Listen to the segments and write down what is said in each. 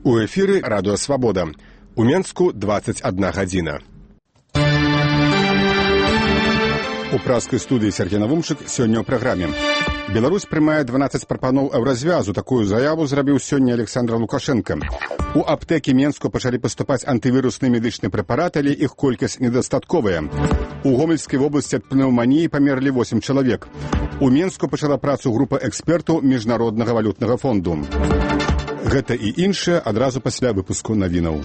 У эфіры радыё «Свабода». У Менску 21 гадзіна. У праскай студыі Сергей Навумчык сёння ў праграме. Беларусь прымае 12 прапаноў еўразвязу. Такую заяву зрабіў сёння Александр Лукашенко. У аптэкі Менску пачалі паступаць антывірусныя медычныя прэпараты, але іх колькасць недастатковая. У Гомельскай вобласці ад пнеўманіі памерлі 8 чалавек. У Менску пачала працу група экспертаў Міжнароднага валютнага фонду. Гэта і іншае адразу пасля выпуску навінаў.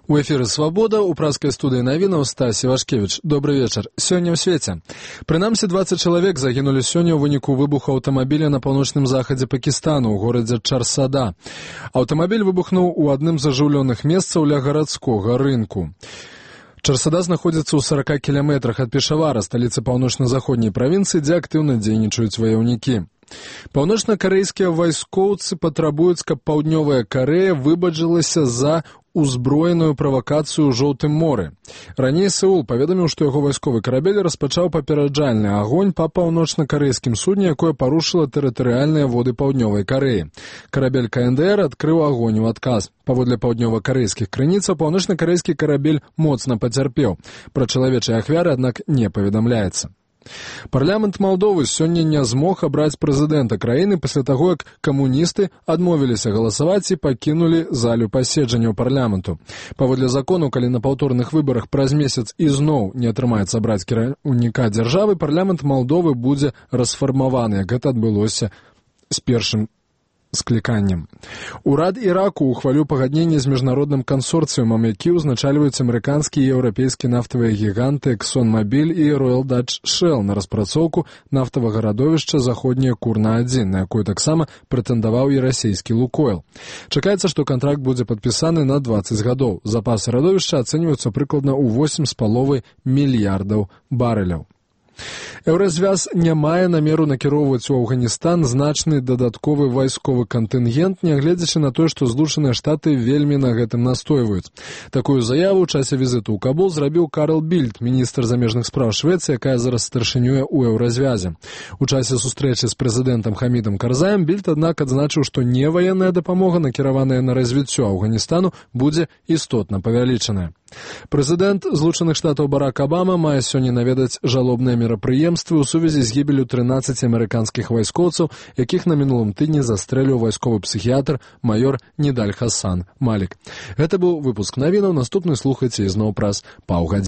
У эфіры «Свабода», у праскай студыі навінаў Стась Івашкевіч. Добры вечар. Сёння ў свеце. Прынамсі 20 чалавек загінулі сёння ў выніку выбуху аўтамабіля на паўночным захадзе Пакістану, у горадзе Чарсада. Аўтамабіль выбухнуў у адным з ажыўлёных месцаў ля гарадскога рынку. Чарсада знаходзіцца ў 40 кіламетрах ад Пешавара, сталіцы паўночна-заходняй правінцыі, дзе актыўна дзейнічаюць ваяўнікі. Паўночна-карэйскія вайскоўцы патрабуюць, каб Паўднёвая Карэя выбачылася за узброеную правакацыю ў Жоўтым моры. Раней Сеул паведаміў, што яго вайсковы карабель распачаў папераджальны агонь па паўночна-карэйскім судне, якое парушыла тэрытарыяльныя воды Паўднёвай Карэі. Карабель КНДР адкрыў агонь у адказ. Паводле паўднёва-карэйскіх крыніцаў, паўночна-карэйскі карабель моцна пацярпеў. Пра чалавечыя ахвяры, аднак, не паведамляецца. Парламент Малдовы сёння не змог абраць прэзідэнта краіны пасля таго, як камуністы адмовіліся галасаваць і пакінулі залю паседжанняў парламенту. Паводле закону, калі на паўторных выбарах праз месяц ізноў не атрымаецца абраць кіраўніка дзяржавы, парламент Малдовы будзе расфармаваны, як гэта адбылося з першым скліканнем. Урад Іраку ухваліў пагадненне з міжнародным кансорцыумам, які ўзначальваюць амерыканскі і еўрапейскі нафтавыя гіганты ExxonMobil і Royal Dutch Shell на распрацоўку нафтавага радовішча заходняе Курна-1, на якую таксама прэтэндаваў і расійскі Лукойл. Чакаецца, што кантракт будзе падпісаны на 20 гадоў. Запасы радовішча ацэньваюцца прыкладна ў 8,5 мільярдаў барэляў. Еўразвяз не мае намеру накіроўваць у Афганістан значны дадатковы вайсковы кантынгент, нягледзячы на тое, што Злучаныя Штаты вельмі на гэтым настойваюць. Такую заяву ў часе візіту ў Кабул зрабіў Карл Більд, міністр замежных спраў Швецыі, якая зараз старшынюе ў еўразвязе. У часе сустрэчы з прэзідэнтам Хамідам Карзаем Більд, аднак, адзначыў, што неваенная дапамога, накіраваная на развіццё Афганістану, будзе істотна павялічаная. Прэзідэнт Злучаных Штатаў Барак Абама мае сёння наведаць жалобныя мерапрыемствы ў сувязі з гібеллю 13 амерыканскіх вайскоўцаў, якіх на мінулым тыдні застрэліў вайсковы псіхіятр маёр Нідаль Хасан Малік. Гэта быў выпуск навінаў. Наступны слухайце ізноў праз паўгадзіны.